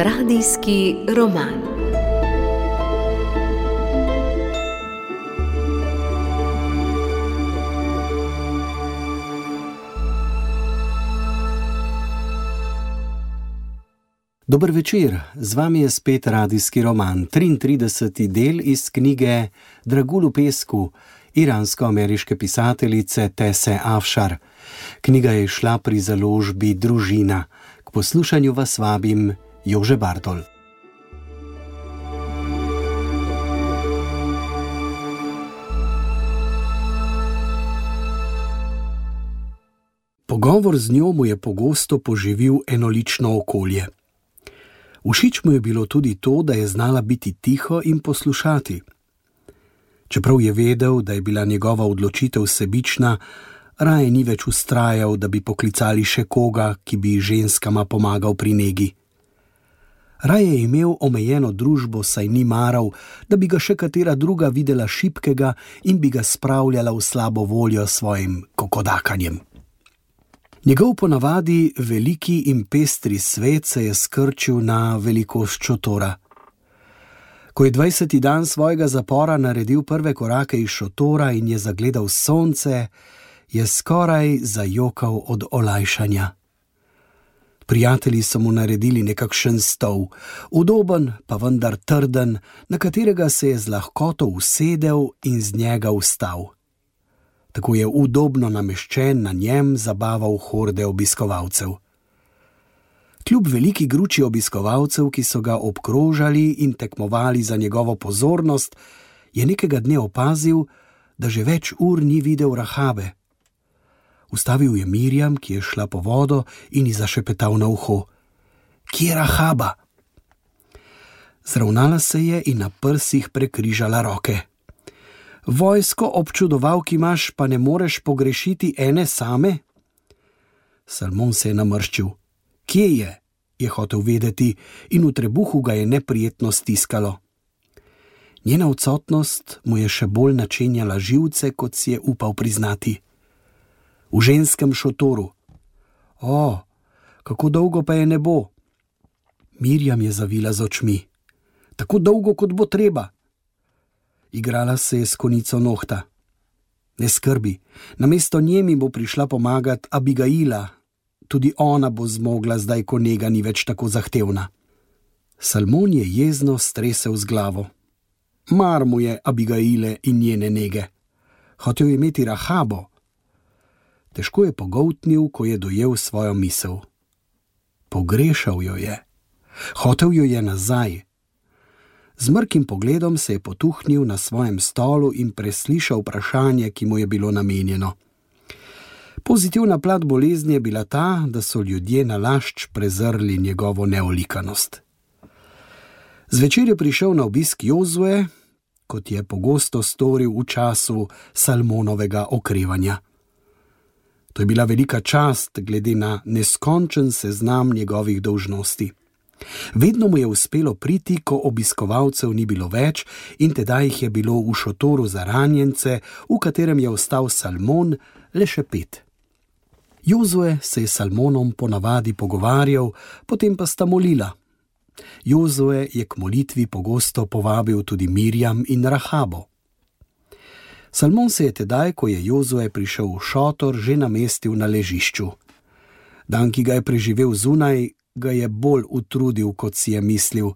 Radijski roman. Dober večer, z vami je spet radijski roman, 33. del iz knjige Dragulj v pesku iransko-ameriške pisateljice Tese Afšar. Knjiga je šla pri založbi Družina. K poslušanju vas vabim Jože Bartol. Pogovor z njo mu je pogosto poživil enolično okolje. Všeč mu je bilo tudi to, da je znala biti tiho in poslušati. Čeprav je vedel, da je bila njegova odločitev sebična, raje ni več vztrajal, da bi poklicali še koga, ki bi ženskama pomagal pri negi. Raje je imel omejeno družbo, saj ni maral, da bi ga še katera druga videla šibkega in bi ga spravljala v slabo voljo s svojim kokodakanjem. Njegov ponavadi veliki in pestri svet se je skrčil na velikost šotora. Ko je 20. dan svojega zapora naredil prve korake iz šotora in je zagledal sonce, je skoraj zajokal od olajšanja. Prijatelji so mu naredili nekakšen stol, udoben, pa vendar trden, na katerega se je z lahkoto usedel in z njega vstal. Tako je udobno nameščen na njem zabaval horde obiskovalcev. Kljub veliki gruči obiskovalcev, ki so ga obkrožali in tekmovali za njegovo pozornost, je nekega dne opazil, da že več ur ni videl Rahabe. Ustavil je Mirjam, ki je šla po vodo, in ji zašepetal na uho: "Kje je Rahaba?" Zravnala se je in na prsih prekrižala roke. "Vojsko občudovalk imaš, pa ne moreš pogrešiti ene same?" Salmon se je namrščil. "Kje je?" je hotel vedeti in v trebuhu ga je neprijetno stiskalo. Njena odsotnost mu je še bolj načenjala živce, kot si je upal priznati. V ženskem šotoru. "O, kako dolgo pa je ne bo?" Mirjam je zavila z očmi. "Tako dolgo, kot bo treba." Igrala se je s konico nohta. "Ne skrbi, namesto nje mi bo prišla pomagat Abigaila. Tudi ona bo zmogla zdaj, ko nega ni več tako zahtevna." Salmon je jezno stresel z glavo. Mar mu je Abigaile in njene nege. Hotel je imeti Rahabo. Težko je pogoltnil, ko je dojel svojo misel. Pogrešal jo je. Hotel jo je nazaj. Z mrkim pogledom se je potuhnil na svojem stolu in preslišal vprašanje, ki mu je bilo namenjeno. Pozitivna plat bolezni je bila ta, da so ljudje nalašč prezrli njegovo neolikanost. Zvečer je prišel na obisk Jozue, kot je pogosto storil v času Salmonovega okrevanja. To je bila velika čast glede na neskončen seznam njegovih dolžnosti. Vedno mu je uspelo priti, ko obiskovalcev ni bilo več, in tedaj jih je bilo v šotoru za ranjence, v katerem je ostal Salmon, le še 5. Jozue se je s Salmonom ponavadi pogovarjal, potem pa sta molila. Jozue je k molitvi pogosto povabil tudi Mirjam in Rahabo. Salmon se je tedaj, ko je Jozue prišel v šotor, že namestil na ležišču. Dan, ki ga je preživel zunaj, ga je bolj utrudil, kot si je mislil,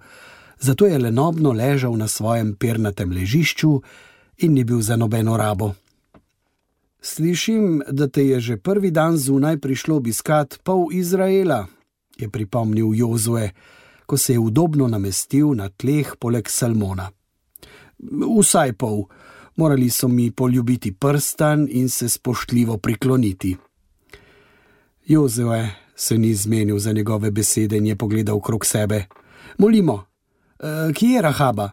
zato je lenobno ležal na svojem pernatem ležišču in ni bil za nobeno rabo. "Slišim, da te je že prvi dan zunaj prišlo obiskat pol Izraela," je pripomnil Jozue, ko se je udobno namestil na tleh poleg Salmona. "Vsaj pol. Morali so mi poljubiti prstan in se spoštljivo prikloniti." Jozue se ni zmenil za njegove besede in je pogledal krog sebe. "Molimo. Kje je Rahaba?"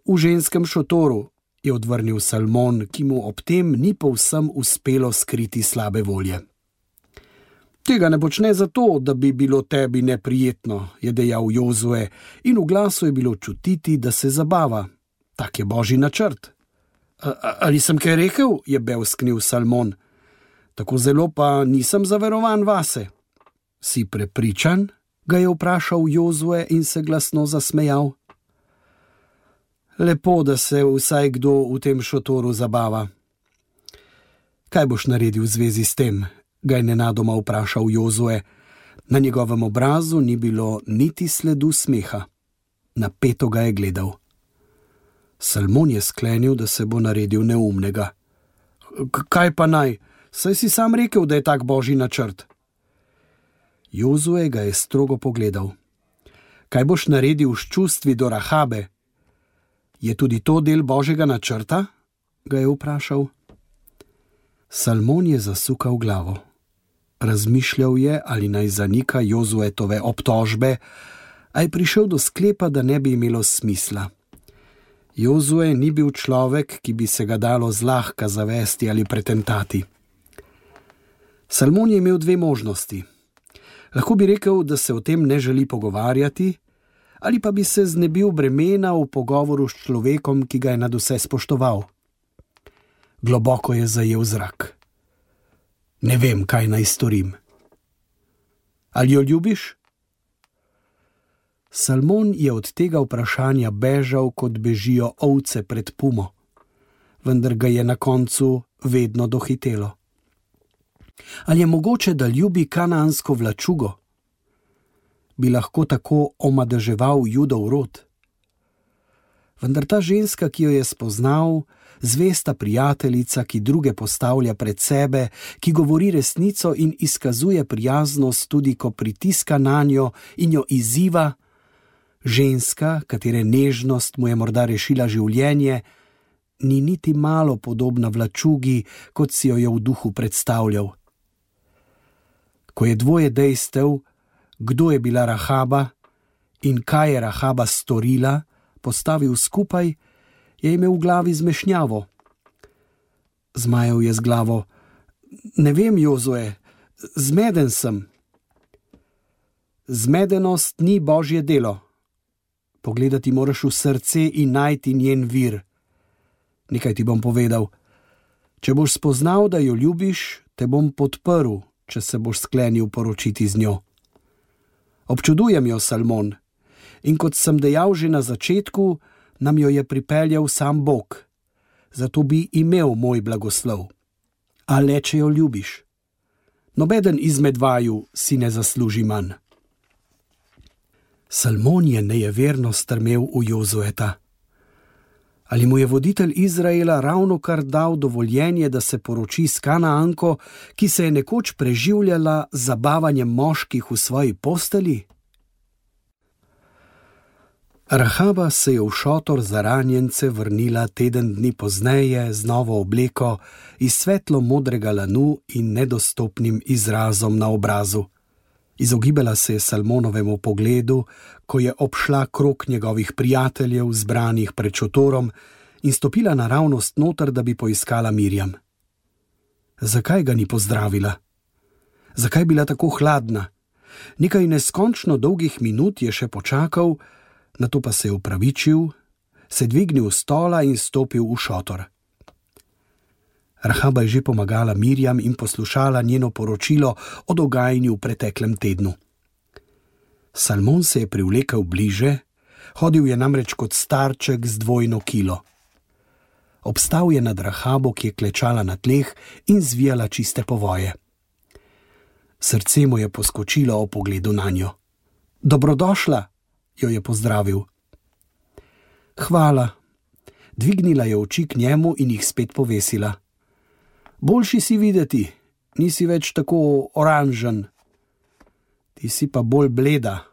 "V ženskem šotoru," je odvrnil Salmon, ki mu ob tem ni povsem uspelo skriti slabe volje. "Tega ne počne zato, da bi bilo tebi neprijetno," je dejal Jozue, in v glasu je bilo čutiti, da se zabava. Tak je božji načrt. Ali sem kaj rekel?" je bevsknil Salmon. "Tako zelo pa nisem zaverovan vase." "Si prepričan?" ga je vprašal Jozue in se glasno zasmejal. Lepo, da se vsaj kdo v tem šotoru zabava. Kaj boš naredil v zvezi s tem? Ga je nenadoma vprašal Jozue. Na njegovem obrazu ni bilo niti sledu smeha. Napeto ga je gledal. Salmon je sklenil, da se bo naredil neumnega. Kaj pa naj? Saj si sam rekel, da je tak božji načrt. Jozue ga je strogo pogledal. Kaj boš naredil s čustvi do Rahabe? Je tudi to del božjega načrta? Ga je vprašal. Salmon je zasukal glavo. Razmišljal je, ali naj zanika Jozuetove obtožbe, a je prišel do sklepa, da ne bi imelo smisla. Jozue ni bil človek, ki bi se ga dalo zlahka zavesti ali pretentati. Salmon je imel dve možnosti. Lahko bi rekel, da se o tem ne želi pogovarjati, ali pa bi se znebil bremena v pogovoru s človekom, ki ga je nadvse spoštoval. Globoko je zajel zrak. Ne vem, kaj naj storim. Ali jo ljubiš? Salmon je od tega vprašanja bežal, kot bežijo ovce pred pumo, vendar ga je na koncu vedno dohitelo. Ali je mogoče, da ljubi kanaansko vlačugo? Bi lahko tako omadeževal Judov rod? Vendar ta ženska, ki jo je spoznal, zvesta prijateljica, ki druge postavlja pred sebe, ki govori resnico in izkazuje prijaznost tudi, ko pritiska nanjo in jo izziva, ženska, katere nežnost mu je morda rešila življenje, ni niti malo podobna vlačugi, kot si jo je v duhu predstavljal. Ko je dvoje dejstev, kdo je bila Rahaba in kaj je Rahaba storila, postavil skupaj, je imel v glavi zmešnjavo. Zmajal je z glavo. Ne vem, Jozue, zmeden sem. Zmedenost ni božje delo. Pogledati moraš v srce in najti njen vir. Nekaj ti bom povedal. Če boš spoznal, da jo ljubiš, te bom podprl, če se boš sklenil poročiti z njo. Občudujem jo, Salmon, in kot sem dejal že na začetku, nam jo je pripeljal sam Bog, zato bi imel moj blagoslov. A le, če jo ljubiš. Nobeden izmed vaju si ne zasluži manj. Salmon je nejeverno strmel v Jozueta. Ali mu je voditelj Izraela ravnokar dal dovoljenje, da se poroči s Kanaanko, ki se je nekoč preživljala z zabavanjem moških v svoji posteli? Rahaba se je v šotor za ranjence vrnila teden dni pozneje z novo obleko iz svetlo modrega lanu in nedostopnim izrazom na obrazu. Izogibala se je Salmonovemu pogledu, ko je obšla krog njegovih prijateljev, zbranih pred šotorom, in stopila naravnost noter, da bi poiskala Mirjam. Zakaj ga ni pozdravila? Zakaj bila tako hladna? Nekaj neskončno dolgih minut je še počakal, nato pa se je opravičil, se dvignil s stola in stopil v šotor. Rahaba je že pomagala Mirjam in poslušala njeno poročilo o dogajanju v preteklem tednu. Salmon se je privlekel bliže, hodil je namreč kot starček z dvojno kilo. Obstal je nad Rahabo, ki je klečala na tleh in zvijala čiste povoje. Srce mu je poskočilo ob pogledu nanjo. Dobrodošla, jo je pozdravil. Hvala. Dvignila je oči k njemu in jih spet povesila. Boljši si videti, nisi več tako oranžen. Ti si pa bolj bleda.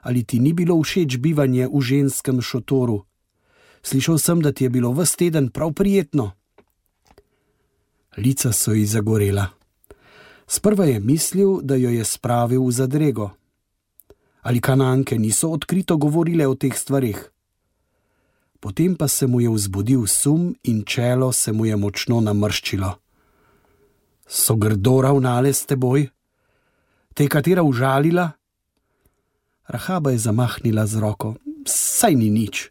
Ali ti ni bilo všeč bivanje v ženskem šotoru? Slišal sem, da ti je bilo ves teden prav prijetno. Lica so ji zagorela. Sprva je mislil, da jo je spravil v zadrego. Ali Kanaanke niso odkrito govorile o teh stvareh? Potem pa se mu je vzbudil sum in čelo se mu je močno namrščilo. So grdo ravnale s teboj? Te je katera užalila? Rahaba je zamahnila z roko. Saj ni nič.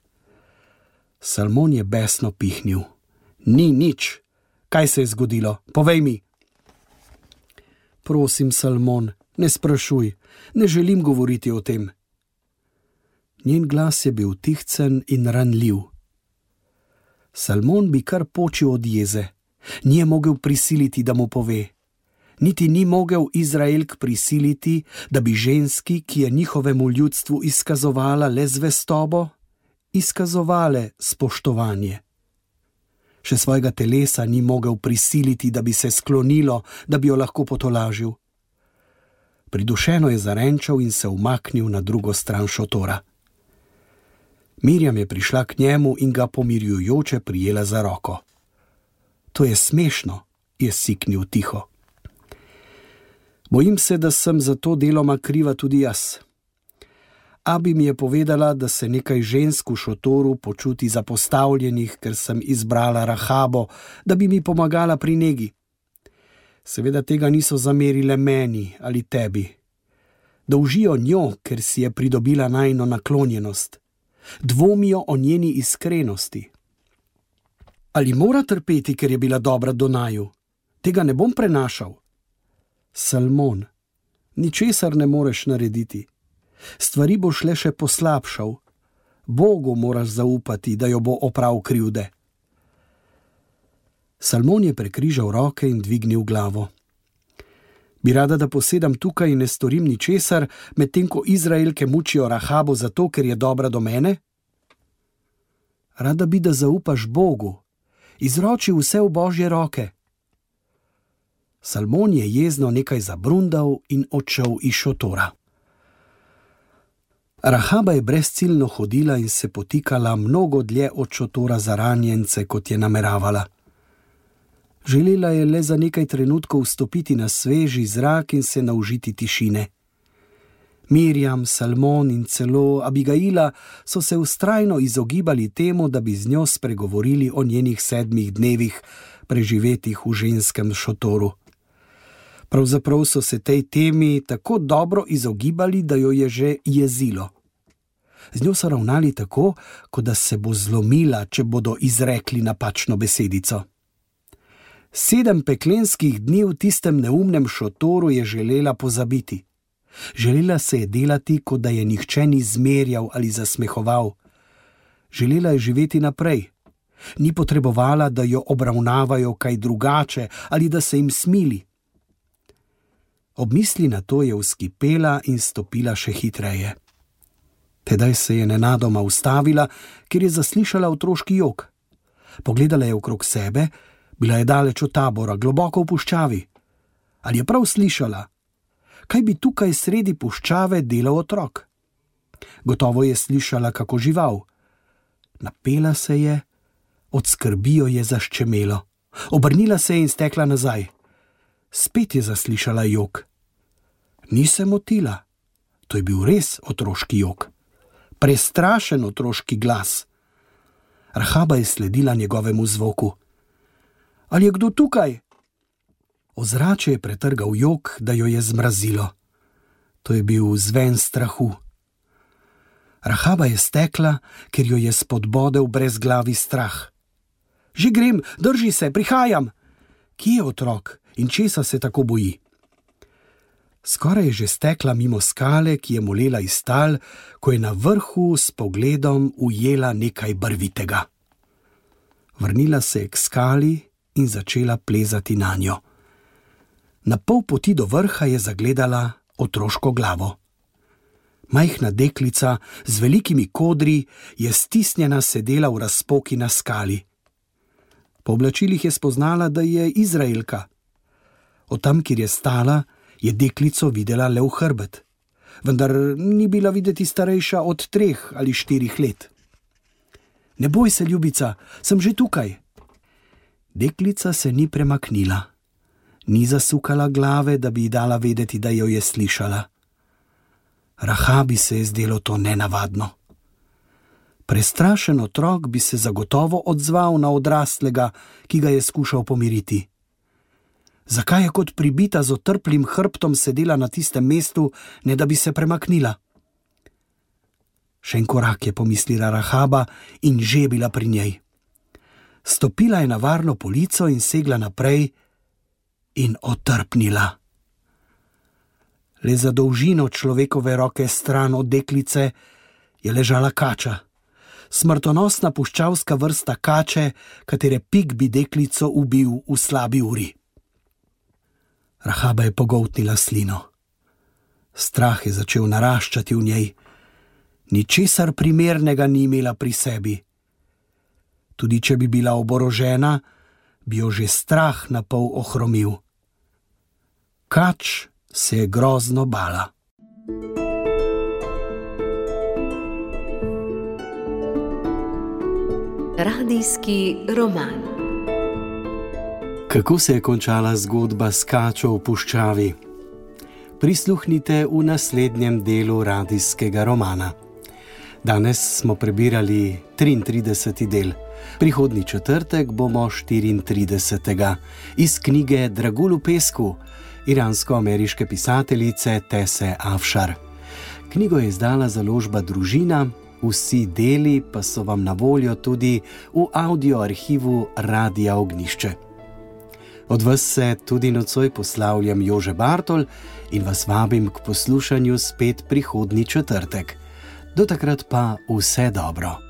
Salmon je besno pihnil. Ni nič. Kaj se je zgodilo? Povej mi. Prosim, Salmon, Ne sprašuj, ne želim govoriti o tem. Njen glas je bil tihcen in ranljiv. Salmon bi kar počil od jeze. Ni je mogel prisiliti, da mu pove. Niti ni mogel Izraelk prisiliti, da bi ženski, ki je njihovemu ljudstvu izkazovala le zvestobo, izkazovale spoštovanje. Še svojega telesa ni mogel prisiliti, da bi se sklonilo, da bi jo lahko potolažil. Pridušeno je zarenčal in se umaknil na drugo stran šotora. Mirjam je prišla k njemu in ga pomirjujoče prijela za roko. To je smešno, je siknil tiho. Bojim se, da sem za to deloma kriva tudi jaz. Abi mi je povedala, da se nekaj žensk v šotoru počuti zapostavljenih, ker sem izbrala Rahabo, da bi mi pomagala pri negi. Seveda tega niso zamerile meni ali tebi. Dolžijo njo, ker si je pridobila najino naklonjenost. Dvomijo o njeni iskrenosti. Ali mora trpeti, ker je bila dobra do naju? Tega ne bom prenašal. Salmon, ničesar ne moreš narediti. Stvari boš le še poslabšal. Bogu moraš zaupati, da jo bo oprav krivde. Salmon je prekrižal roke in dvignil glavo. Bi rada, da posedam tukaj in ne storim ničesar, medtem ko Izraelke mučijo Rahabo zato, ker je dobra do mene? Rada bi, da zaupaš Bogu. Izroči vse v Božje roke. Salmon je jezno nekaj zabrundal in odšel iz šotora. Rahaba je brezciljno hodila in se potikala mnogo dlje od šotora za ranjence, kot je nameravala. Želela je le za nekaj trenutkov vstopiti na sveži zrak in se naužiti tišine. Mirjam, Salmon in celo Abigaila so se vztrajno izogibali temu, da bi z njo spregovorili o njenih 7 dnevih, preživetih v ženskem šotoru. Pravzaprav so se tej temi tako dobro izogibali, da jo je že jezilo. Z njo so ravnali tako, kot da se bo zlomila, če bodo izrekli napačno besedico. 7 peklenskih dni v tistem neumnem šotoru je želela pozabiti. Želela se je delati, kot da je nihče ni zmerjal ali zasmehoval. Želela je živeti naprej. Ni potrebovala, da jo obravnavajo kaj drugače ali da se jim smili. Ob misli na to je vzkipela in stopila še hitreje. Tedaj se je nenadoma ustavila, ker je zaslišala otroški jok. Pogledala je okrog sebe, bila je daleč od tabora, globoko v puščavi. Ali je prav slišala? Kaj bi tukaj sredi puščave delal otrok? Gotovo je slišala kako žival. Napela se je, od skrbi jo je zaščemelo. Obrnila se je in stekla nazaj. Spet je zaslišala jok. Ni se motila. To je bil res otroški jok. Prestrašen otroški glas. Rahaba je sledila njegovemu zvoku. Ali je kdo tukaj? Ozračje je pretrgal jok, da jo je zmrazilo. To je bil zven strahu. Rahaba je stekla, ker jo je spodbodel brezglavi strah. Že grem, drži se, prihajam. Kje je otrok in česa se tako boji? Skoraj je že stekla mimo skale, ki je molela iz tal, ko je na vrhu s pogledom ujela nekaj barvitega. Vrnila se je k skali in začela plezati nanjo. Na pol poti do vrha je zagledala otroško glavo. Majhna deklica z velikimi kodri je stisnjena sedela v razpoki na skali. Po oblačilih je spoznala, da je Izraelka. Od tam, kjer je stala, je deklico videla le v hrbet, vendar ni bila videti starejša od 3 ali 4 let. Ne boj se, ljubica, sem že tukaj. Deklica se ni premaknila. Ni zasukala glave, da bi ji dala vedeti, da jo je slišala. Rahabi se je zdelo to nenavadno. Prestrašen otrok bi se zagotovo odzval na odraslega, ki ga je skušal pomiriti. Zakaj je kot pribita z otrplim hrbtom sedela na tistem mestu, ne da bi se premaknila? Še en korak je pomislila Rahaba in že je bila pri njej. Stopila je na varno polico in segla naprej in otrpnila. Le za dolžino človekove roke stran od deklice je ležala kača. Smrtonosna puščavska vrsta kače, katere pik bi deklico ubil v slabi uri. Rahaba je pogoltnila slino. Strah je začel naraščati v njej. Ničesar primernega ni imela pri sebi. Tudi če bi bila oborožena, bi jo že strah napol ohromil. Kač se je grozno bala. Radijski roman. Kako se je končala zgodba s kačo v puščavi? Prisluhnite v naslednjem delu radijskega romana. Danes smo prebirali 33. del. Prihodnji četrtek bomo 34. iz knjige Dragulj v pesku iransko-ameriške pisateljice Tese Afšar. Knjigo je izdala založba Družina, vsi deli pa so vam na voljo tudi v audio arhivu Radia Ognjišče. Od vas se tudi nocoj poslavljam Jože Bartol in vas vabim k poslušanju spet prihodnji četrtek. Do takrat pa vse dobro.